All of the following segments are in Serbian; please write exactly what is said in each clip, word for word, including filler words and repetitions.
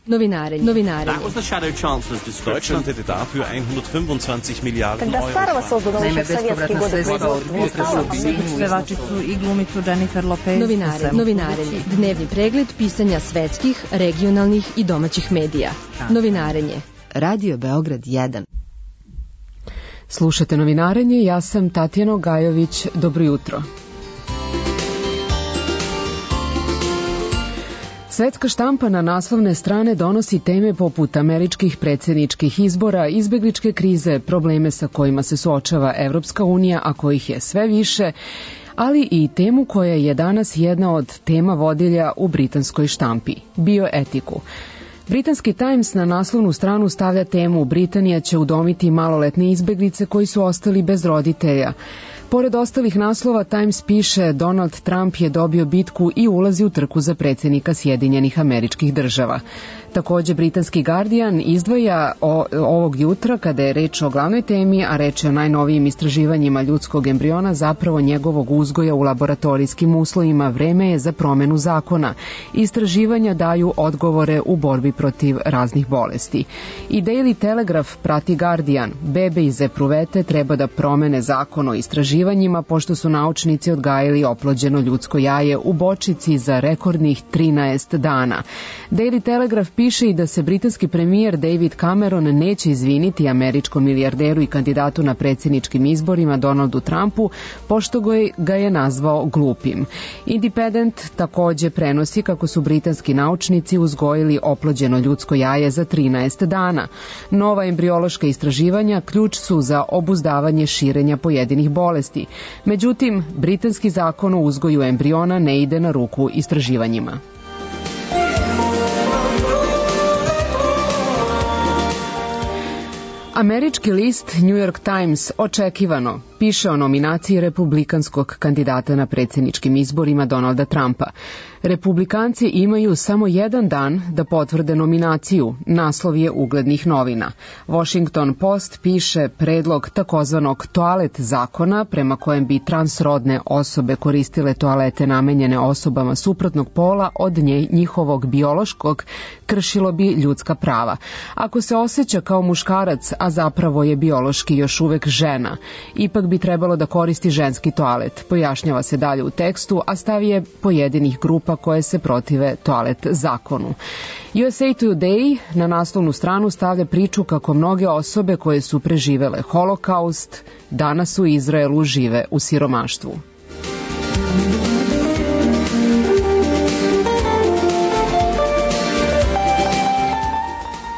Novinarenje. Novinarenje. That was the Shadow Chancellor's description. Deutschland hätte dafür hundertfünfundzwanzig Milliarden Когда старого создано еще в советские годы Pevačicu i glumicu Jennifer Lopez. Novinarenje. Novinarenje. Dnevni pregled pisanja svetskih, regionalnih i domaćih medija. Novinarenje. Radio Beograd jedan. Slušate Novinarenje, ja sam Tatjana Gajović, dobro jutro. Svetska štampa na naslovne strane donosi teme poput američkih predsjedničkih izbora, izbegličke krize, probleme sa kojima se suočava Evropska unija, a kojih je sve više, ali i temu koja je danas jedna od tema vodilja u britanskoj štampi, bioetiku. Britanski Times na naslovnu stranu stavlja temu Britanija će udomiti maloletne izbeglice koji su ostali bez roditelja. Pored ostalih naslova, Times piše Donald Trump je dobio bitku i ulazi u trku za predsjednika Sjedinjenih Američkih Država. Takođe, britanski Guardian izdvaja o, ovog jutra, kada je reč o glavnoj temi, a reč je o najnovijim istraživanjima ljudskog embriona, zapravo njegovog uzgoja u laboratorijskim uslovima, vreme je za promenu zakona. Istraživanja daju odgovore u borbi protiv raznih bolesti. I Daily Telegraph prati Guardian. Bebe iz epruvete treba da promene zakon o istraživanjima, pošto su naučnici odgajili oplođeno ljudsko jaje u bočici za rekordnih trinaest dana. Daily Telegraph piše i da se britanski premijer David Cameron neće izviniti američkom milijarderu i kandidatu na predsjedničkim izborima Donaldu Trumpu, pošto ga je nazvao glupim. Independent takođe prenosi kako su britanski naučnici uzgojili oplođeno ljudsko jaje za trinaest dana. Nova embriološka istraživanja ključ su za obuzdavanje širenja pojedinih bolesti. Međutim, britanski zakon o uzgoju embriona ne ide na ruku istraživanjima. Američki list New York Times očekivano piše o nominaciji republikanskog kandidata na predsjedničkim izborima Donalda Trumpa. Republikanci imaju samo jedan dan da potvrde nominaciju, naslov je uglednih novina. Washington Post piše predlog takozvanog toalet zakona prema kojem bi transrodne osobe koristile toalete namenjene osobama suprotnog pola od nje, njihovog biološkog, kršilo bi ljudska prava. Ako se osjeća kao muškarac, a zapravo je biološki još uvek žena, ipak bi trebalo da koristi ženski toalet, pojašnjava se dalje u tekstu, a stav je pojedinih grupa koje se protive toalet zakonu. U S A Today na naslovnu stranu stavlja priču kako mnoge osobe koje su preživele holokaust danas u Izraelu žive u siromaštvu.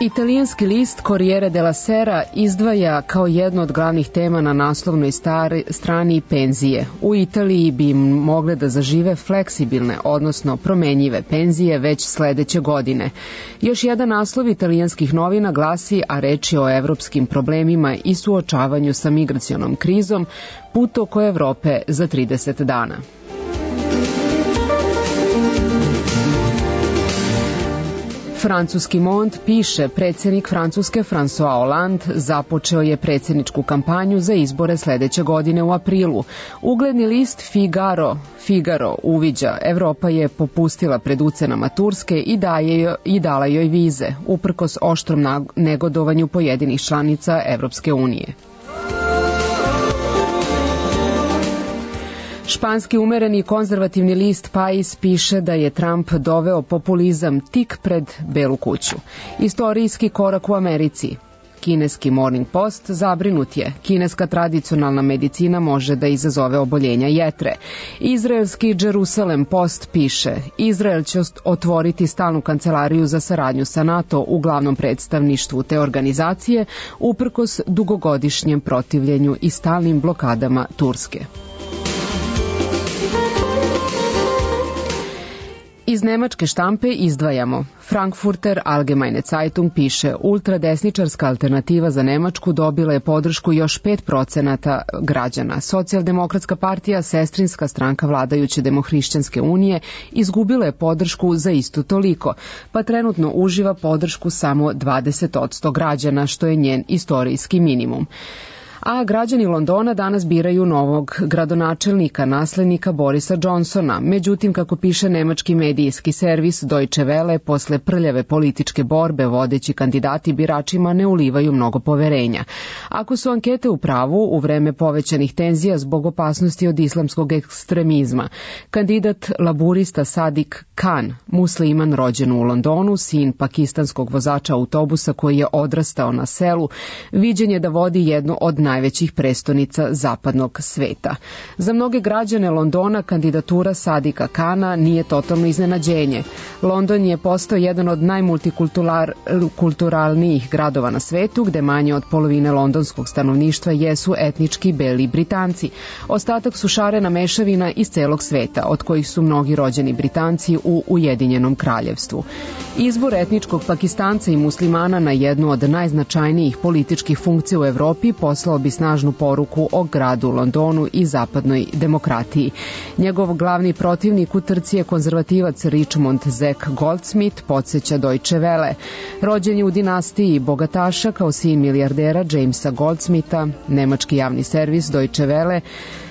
Italijanski list Corriere della Sera izdvaja kao jednu od glavnih tema na naslovnoj stari, strani penzije. U Italiji bi mogle da zažive fleksibilne, odnosno promenjive penzije već sledeće godine. Još jedan naslov italijanskih novina glasi, a reč je o evropskim problemima i suočavanju sa migracionom krizom, put oko Evrope za trideset dana. Francuski Monde piše, predsjednik Francuske François Hollande započeo je predsjedničku kampanju za izbore sledeće godine u aprilu. Ugledni list Figaro, Figaro uviđa, Evropa je popustila pred ucenama Turske i, daje, i dala joj vize, uprkos oštrom negodovanju pojedinih članica Evropske unije. Španski umereni konzervativni list Pais piše da je Trump doveo populizam tik pred Belu kuću. Istorijski korak u Americi. Kineski Morning Post zabrinut je. Kineska tradicionalna medicina može da izazove oboljenja jetre. Izraelski Jerusalem Post piše, Izrael će otvoriti stalnu kancelariju za saradnju sa NATO u glavnom predstavništvu te organizacije, uprkos dugogodišnjem protivljenju i stalnim blokadama Turske. Iz nemačke štampe izdvajamo. Frankfurter Allgemeine Zeitung piše, ultradesničarska alternativa za Nemačku dobila je podršku još pet procenata građana. Socijaldemokratska partija, sestrinska stranka vladajuće Demohrišćanske unije, izgubila je podršku za isto toliko, pa trenutno uživa podršku samo dvadeset posto građana, što je njen istorijski minimum. A građani Londona danas biraju novog gradonačelnika, naslednika Borisa Johnsona. Međutim, kako piše nemački medijski servis Deutsche Welle, posle prljave političke borbe vodeći kandidati biračima ne ulivaju mnogo poverenja. Ako su ankete u pravu, u vreme povećanih tenzija zbog opasnosti od islamskog ekstremizma, kandidat laburista Sadik Khan, musliman rođen u Londonu, sin pakistanskog vozača autobusa koji je odrastao na selu, viđen je da vodi jednu od najvećih prestonica zapadnog sveta. Za mnoge građane Londona kandidatura Sadika Khana nije totalno iznenađenje. London je postao jedan od najmultikulturalnijih gradova na svetu, gde manje od polovine londonskog stanovništva jesu etnički beli Britanci. Ostatak su šarena mešavina iz celog sveta, od kojih su mnogi rođeni Britanci u Ujedinjenom kraljevstvu. Izbor etničkog Pakistanca i muslimana na jednu od najznačajnijih političkih funkcija u Evropi poslao bi snažnu poruku o gradu Londonu i zapadnoj demokratiji. Njegov glavni protivnik u trci je konzervativac Richmond Zack Goldsmith, podsjeća Deutsche Welle. Rođen je u dinastiji bogataša kao sin milijardera Jamesa Goldsmitha, nemački javni servis Deutsche Welle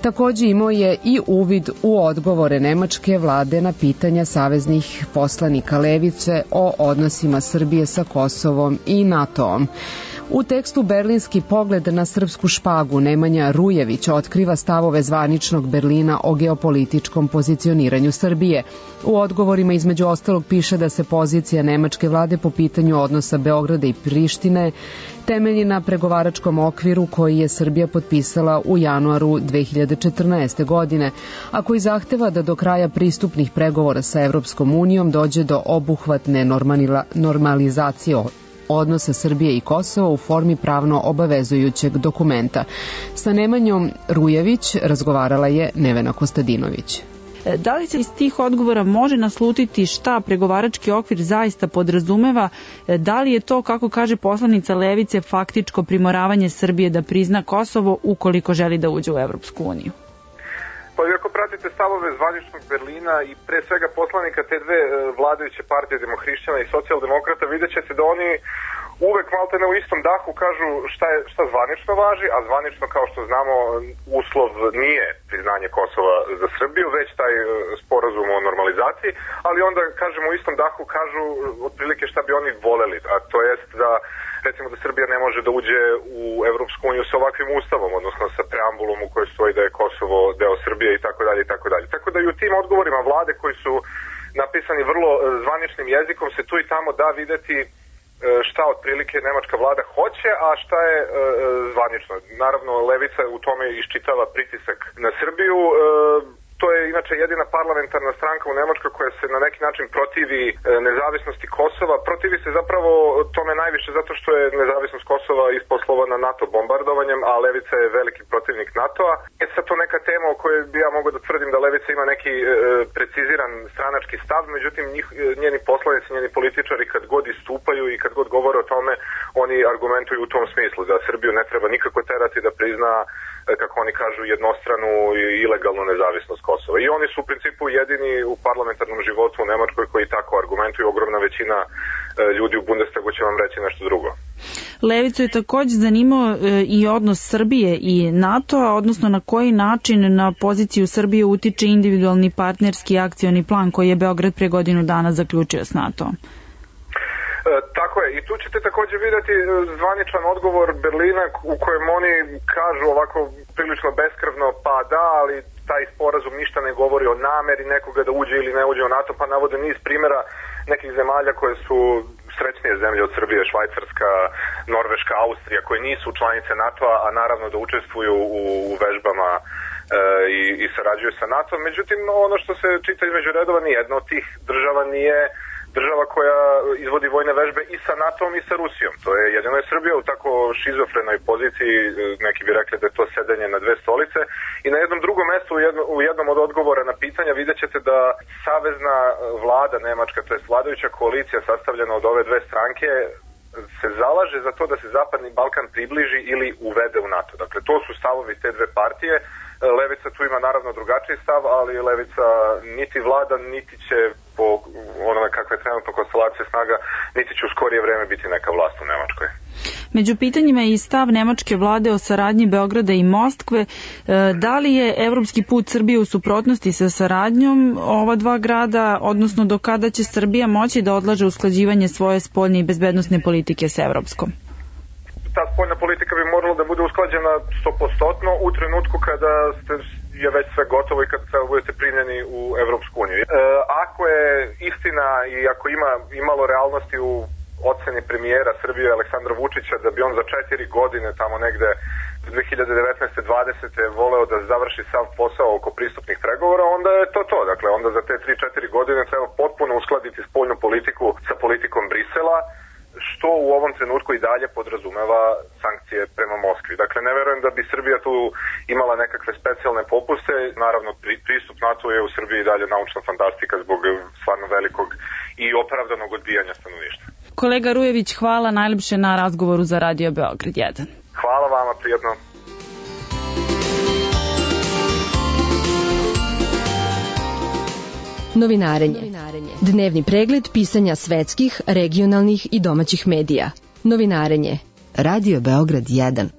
takođe imao je i uvid u odgovore nemačke vlade na pitanja saveznih poslanika levice o odnosima Srbije sa Kosovom i NATO-om. U tekstu Berlinski pogled na srpsku špagu Nemanja Rujević otkriva stavove zvaničnog Berlina o geopolitičkom pozicioniranju Srbije. U odgovorima između ostalog piše da se pozicija nemačke vlade po pitanju odnosa Beograda i Prištine temelji na pregovaračkom okviru koji je Srbija potpisala u januaru dve hiljade četrnaeste. godine, a koji zahteva da do kraja pristupnih pregovora sa Evropskom unijom dođe do obuhvatne normalizacije odnosa Srbije i Kosova u formi pravno obavezujućeg dokumenta. Sa Nemanjom Rujević razgovarala je Nevena Kostadinović. Da li se iz tih odgovora može naslutiti šta pregovarački okvir zaista podrazumeva? Da li je to, kako kaže poslanica levice, faktičko primoravanje Srbije da prizna Kosovo ukoliko želi da uđe u Evropsku uniju? Pa ako pratite stavove zvaničnog Berlina i pre svega poslanika te dve vladajuće partije, demohrišćana i socijaldemokrata, vidjet ćete da oni uvek maltene u istom dahu kažu šta, je, šta zvanično važi, a zvanično, kao što znamo, uslov nije priznanje Kosova za Srbiju, već taj sporazum o normalizaciji, ali onda, kažemo, u istom dahu kažu otprilike šta bi oni voleli, a to jest da recimo da Srbija ne može da uđe u Evropsku uniju sa ovakvim ustavom, odnosno sa preambulom u kojoj stoji da je Kosovo deo Srbije i tako dalje i tako dalje. Tako da i u tim odgovorima vlade koji su napisani vrlo zvaničnim jezikom se tu i tamo da videti šta otprilike nemačka vlada hoće, a šta je e, zvanično. Naravno, levica u tome iščitava pritisak na Srbiju. E, to je inače jedina parlamentarna stranka u Nemačkoj koja se na neki način protivi e, nezavisnosti Kosova. Protivi se zapravo tome najviše zato što je nezavisnost Kosova isposlovana NATO bombardovanjem, a levica je veliki protivnik NATO-a. E sad to neka tema o kojoj bi ja mogao da tvrdim da levica ima neki e, preciziran stranački stav, međutim njih, njeni poslanici, njeni političari kad god istupaju i kad god govore o tome, oni argumentuju u tom smislu da Srbiju ne treba nikako terati da prizna, kako oni kažu, jednostranu i ilegalnu nezavisnost Kosova. I oni su u principu jedini u parlamentarnom životu u Nemačkoj koji tako argumentuju. Ogromna većina ljudi u Bundestagu će vam reći nešto drugo. Levicu je takođe zanimao i odnos Srbije i NATO-a, odnosno na koji način na poziciju Srbije utiče individualni partnerski akcioni plan koji je Beograd pre godinu dana zaključio s NATO-om. E, tako je, i tu ćete takođe vidjeti zvaničan odgovor Berlina u kojem oni kažu ovako prilično beskrvno, pa da, ali taj sporazum ništa ne govori o nameri nekoga da uđe ili ne uđe u NATO, pa navode niz primjera nekih zemalja koje su srećnije zemlje od Srbije, Švajcarska, Norveška, Austrija, koje nisu članice NATO-a, a naravno da učestvuju u, u vežbama e, i, i sarađuju sa NATO. Međutim, ono što se čita između redova, nijedna od tih država nije država koja izvodi vojne vežbe i sa NATO-om i sa Rusijom. To je jedino je Srbija u tako šizofrenoj poziciji, neki bi rekli da je to sedenje na dve stolice. I na jednom drugom mestu, u, jedno, u jednom od odgovora na pitanja, vidjet ćete da savezna vlada Nemačka, to je vladajuća koalicija sastavljena od ove dve stranke, se zalaže za to da se Zapadni Balkan približi ili uvede u NATO. Dakle, to su stavovi te dve partije. Levica tu ima naravno drugačiji stav, ali Levica niti vlada, niti će po onome kakve je trenutno konstelacije snaga, niti će u skorije vreme biti neka vlast u Nemačkoj. Među pitanjima je i stav nemačke vlade o saradnji Beograda i Moskve. Da li je evropski put Srbije u suprotnosti sa saradnjom ova dva grada, odnosno do kada će Srbija moći da odlaže usklađivanje svoje spoljne i bezbednosne politike sa evropskom? Ta spoljna politika bi morala da bude usklađena sto posto u trenutku kada ste, je već sve gotovo i kada treba budete primljeni u Evropsku uniju. E, ako je istina i ako ima imalo realnosti u oceni premijera Srbije Aleksandra Vučića da bi on za četiri godine tamo negde dve hiljade devetnaeste dvadesete voleo da završi sav posao oko pristupnih pregovora, onda je to to. Dakle, onda za te tri četiri godine treba potpuno uskladiti spoljnu politiku sa politikom Brisela, što u ovom trenutku i dalje podrazumeva sankcije prema Moskvi. Dakle, ne verujem da bi Srbija tu imala nekakve specijalne popuste. Naravno, pristup NATO je u Srbiji i dalje naučna fantastika zbog stvarno velikog i opravdanog odbijanja stanovništva. Kolega Rujević, hvala najlepše na razgovoru za Radio Beograd jedan. Hvala vama, prijetno. Novinarenje. Dnevni pregled pisanja svetskih, regionalnih i domaćih medija. Novinarenje. Radio Beograd jedan.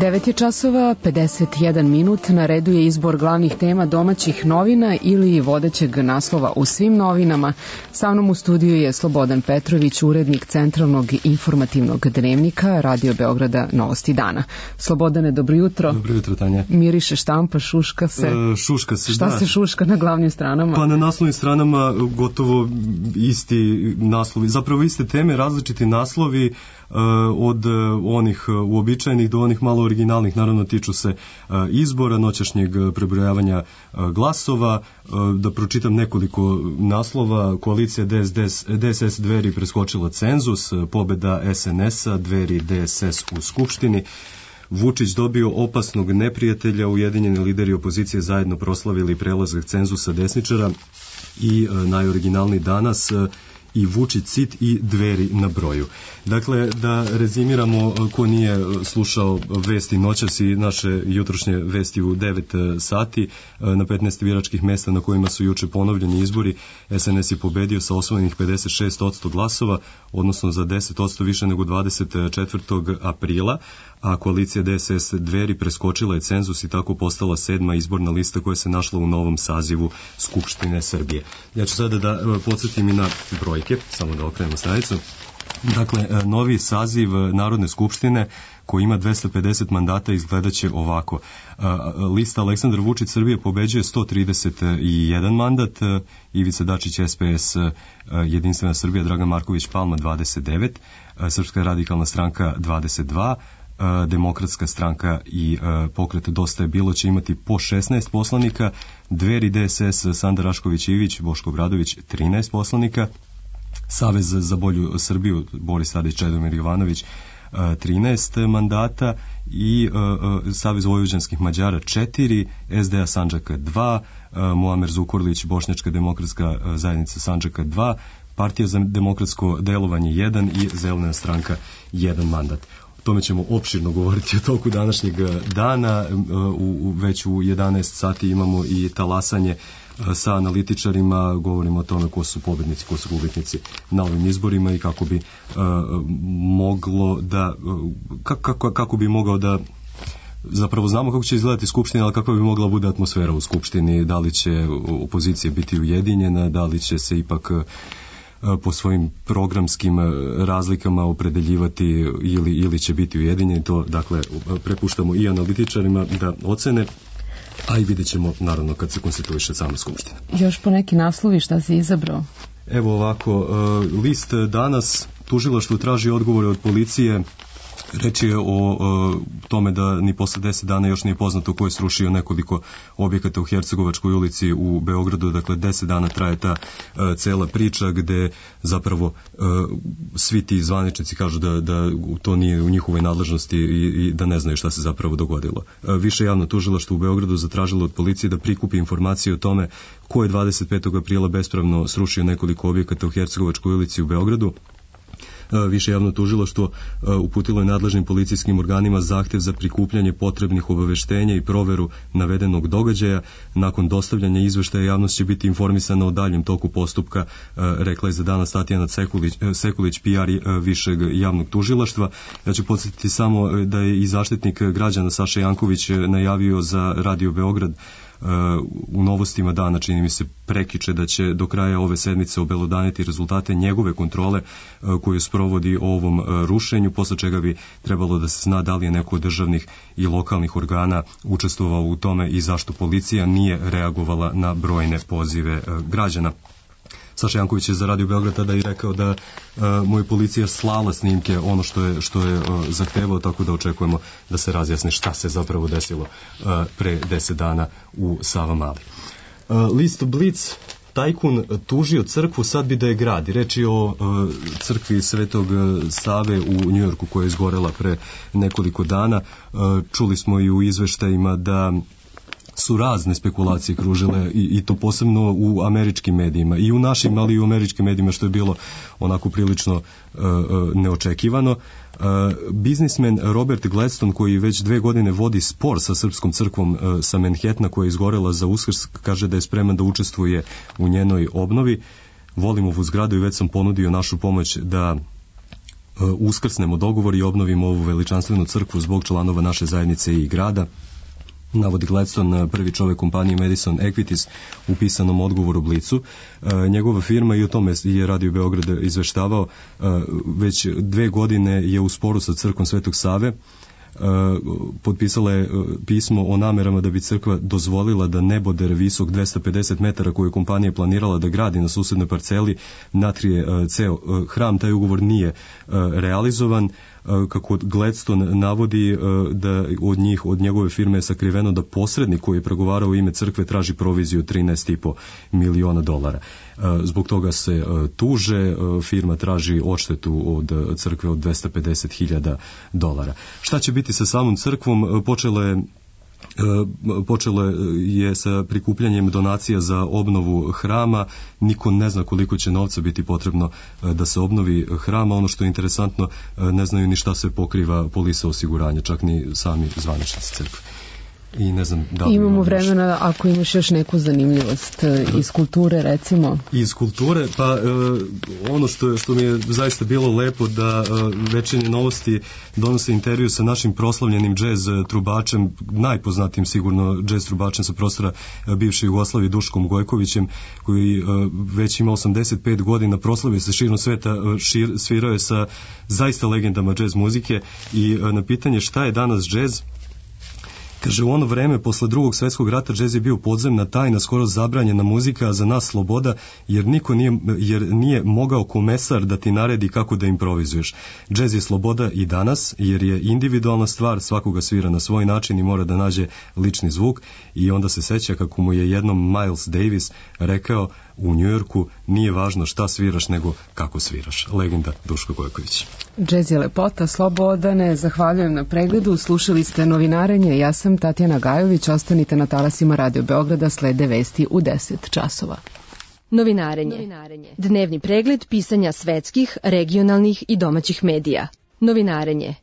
devet je časova, pedeset jedan minut, na redu je izbor glavnih tema domaćih novina ili vodećeg naslova u svim novinama. Sa mnom u studiju je Slobodan Petrović, urednik Centralnog informativnog dnevnika Radio Beograda Novosti dana. Slobodane, dobro jutro. Dobro jutro, Tanja. Miriše štampa, šuška se. E, šuška se, Šta da. se šuška na glavnim stranama? Pa na naslovnim stranama gotovo isti naslovi, zapravo iste teme, različiti naslovi, od onih uobičajenih do onih malo originalnih, naravno tiču se izbora, noćašnjeg prebrojavanja glasova. Da pročitam nekoliko naslova: koalicija D S S Dveri preskočila cenzus, pobeda S N S-a, Dveri D S S u Skupštini, Vučić dobio opasnog neprijatelja, ujedinjeni lideri opozicije zajedno proslavili prelazak cenzusa desničara i najoriginalniji danas i Vučić sit i Dveri na broju. Dakle, da rezimiramo, ko nije slušao vesti noćas i naše jutrošnje vesti u devet sati, na petnaest biračkih mesta na kojima su juče ponovljeni izbori, S N S je pobedio sa osvojenih pedeset šest posto glasova, odnosno za deset posto više nego dvadeset četvrtog aprila, a koalicija D S S Dveri preskočila je cenzus i tako postala sedma izborna lista koja se našla u novom sazivu Skupštine Srbije. Ja ću sada da podsjetim i na brojke, samo da okrenemo stranicu. Dakle, novi saziv Narodne skupštine koji ima dvesta pedeset mandata izgledaće ovako. Lista Aleksandar Vučić Srbije pobeđuje sto trideset jedan mandat, Ivica Dačić S P S Jedinstvena Srbija Dragan Marković Palma dvadeset devet, Srpska radikalna stranka dvadeset dva, Demokratska stranka i pokret Dosta je bilo će imati po šesnaest poslanika, Dveri D S S Sanda Rašković Ivić, Boško Obradović trinaest poslanika, Savez za bolju Srbiju Boris Tadić, Čedomir Jovanović trinaest mandata i uh, Savez vojvođanskih Mađara četiri, S D A Sandžaka dva, uh, Muamer Zukorlić Bošnjačka demokratska zajednica Sandžaka dva, Partija za demokratsko delovanje jedan i Zelena stranka jedan mandat. O tome ćemo opširno govoriti o toku današnjeg dana. U, u, već u jedanaest sati imamo i talasanje sa analitičarima, govorimo o tome ko su pobednici, ko su gubitnici na ovim izborima i kako bi uh, moglo da kako, kako bi mogao da zapravo znamo kako će izgledati Skupština, ali kako bi mogla bude atmosfera u Skupštini, da li će opozicija biti ujedinjena, da li će se ipak po svojim programskim razlikama opredeljivati ili, ili će biti ujedinjeni. To, dakle, prepuštamo i analitičarima da ocene, a i vidjet ćemo, naravno, kad se konstituiše sama Skupština. Još po neki naslovi šta si izabrao? Evo ovako, list danas, tužilaštvo traži odgovore od policije Reč je o, o tome da ni posle deset dana još nije poznato ko je srušio nekoliko objekata u Hercegovačkoj ulici u Beogradu. Dakle, deset dana traje ta uh, cela priča gde zapravo uh, svi ti zvaničnici kažu da, da to nije u njihovoj nadležnosti i, i da ne znaju šta se zapravo dogodilo. Uh, više javno tužilaštvo u Beogradu zatražilo od policije da prikupi informacije o tome ko je dvadeset petog aprila bespravno srušio nekoliko objekata u Hercegovačkoj ulici u Beogradu. Više javno tužilaštvo uputilo je nadležnim policijskim organima zahtev za prikupljanje potrebnih obaveštenja i proveru navedenog događaja. Nakon dostavljanja izveštaja javnost će biti informisana o daljem toku postupka, rekla je za danas Tatjana Sekulić, Sekulić P R višeg javnog tužilaštva. Ja ću podsjetiti samo da je i zaštitnik građana Saša Janković najavio za Radio Beograd u novostima dana, čini mi se prekiče, da će do kraja ove sedmice obelodaniti rezultate njegove kontrole koju sprovodi o ovom rušenju, posle čega bi trebalo da se zna da li je neko od državnih i lokalnih organa učestvovao u tome i zašto policija nije reagovala na brojne pozive građana. Saša Janković je za Radio Beograd tada i rekao da uh, mu je policija slala snimke ono što je, što je uh, zahtevao, tako da očekujemo da se razjasni šta se zapravo desilo uh, pre deset dana u Savamali. Uh, list Blitz, tajkun tužio crkvu, sad bi da je gradi. Reč je o uh, crkvi Svetog Save u Njujorku koja je izgorela pre nekoliko dana. Uh, čuli smo i u izveštajima da su razne spekulacije kružile i, i to posebno u američkim medijima i u našim, ali i u američkim medijima, što je bilo onako prilično uh, neočekivano. Uh, biznismen Robert Gladstone, koji već dve godine vodi spor sa srpskom crkvom uh, sa Manhattana koja je izgorela za Uskrs, kaže da je spreman da učestvuje u njenoj obnovi. Volim ovu zgradu i već sam ponudio našu pomoć da uh, uskrsnemo dogovor i obnovimo ovu veličanstvenu crkvu zbog članova naše zajednice i grada, navodi Gladstone, prvi čovek kompanije Madison Equities u pisanom odgovoru Blicu. E, njegova firma, i o tome je Radio Beograd izveštavao, e, već dve godine je u sporu sa crkvom Svetog Save. Uh, potpisala je uh, pismo o namerama da bi crkva dozvolila da neboder visok dvesta pedeset metara koju je kompanija planirala da gradi na susednoj parceli natrije uh, ceo uh, hram. Taj ugovor nije uh, realizovan. Uh, kako Gladstone navodi, uh, da od njih, od njegove firme je sakriveno da posrednik koji je pregovarao u ime crkve traži proviziju od trinaest i po miliona dolara. Uh, zbog toga se uh, tuže, uh, firma traži odštetu od uh, crkve od dvesta pedeset hiljada dolara. Šta će biti sa samom crkvom? Uh, počelo je počelo je sa prikupljanjem donacija za obnovu hrama. Niko ne zna koliko će novca biti potrebno da se obnovi hrama. Ono što je interesantno, ne znaju ni šta se pokriva polisa osiguranja, čak ni sami zvaničnici crkve. I ne znam da li imamo vremena još. Ako imaš još neku zanimljivost iz kulture, recimo. Iz kulture, pa uh, ono što, što mi je zaista bilo lepo, da uh, Večernje novosti donose intervju sa našim proslavljenim džez trubačem, najpoznatijim sigurno džez trubačem sa prostora uh, bivše Jugoslavije, Duškom Gojkovićem, koji uh, već ima osamdeset pet godina, proslavio se širom sveta, uh, šir, svirao je sa zaista legendama džez muzike i uh, na pitanje šta je danas džez, kaže, u ono vreme, posle drugog svetskog rata, džez je bio podzemna tajna, skoro zabranjena muzika, a za nas sloboda, jer niko nije, jer nije mogao komesar da ti naredi kako da improvizuješ. Džez je sloboda i danas, jer je individualna stvar, svakoga svira na svoj način i mora da nađe lični zvuk. I onda se seća kako mu je jednom Miles Davis rekao u Njujorku, nije važno šta sviraš, nego kako sviraš. Legenda Duško Gojković. Džez je lepota, Slobodane, zahvaljujem na pregledu. Slušali ste Novinarenje, ja sam Tatjana Gajović, ostanite na talasima Radio Beograda, slede vesti u deset časova. Novinarenje. Novinarenje. Dnevni pregled pisanja svetskih, regionalnih i domaćih medija. Novinarenje.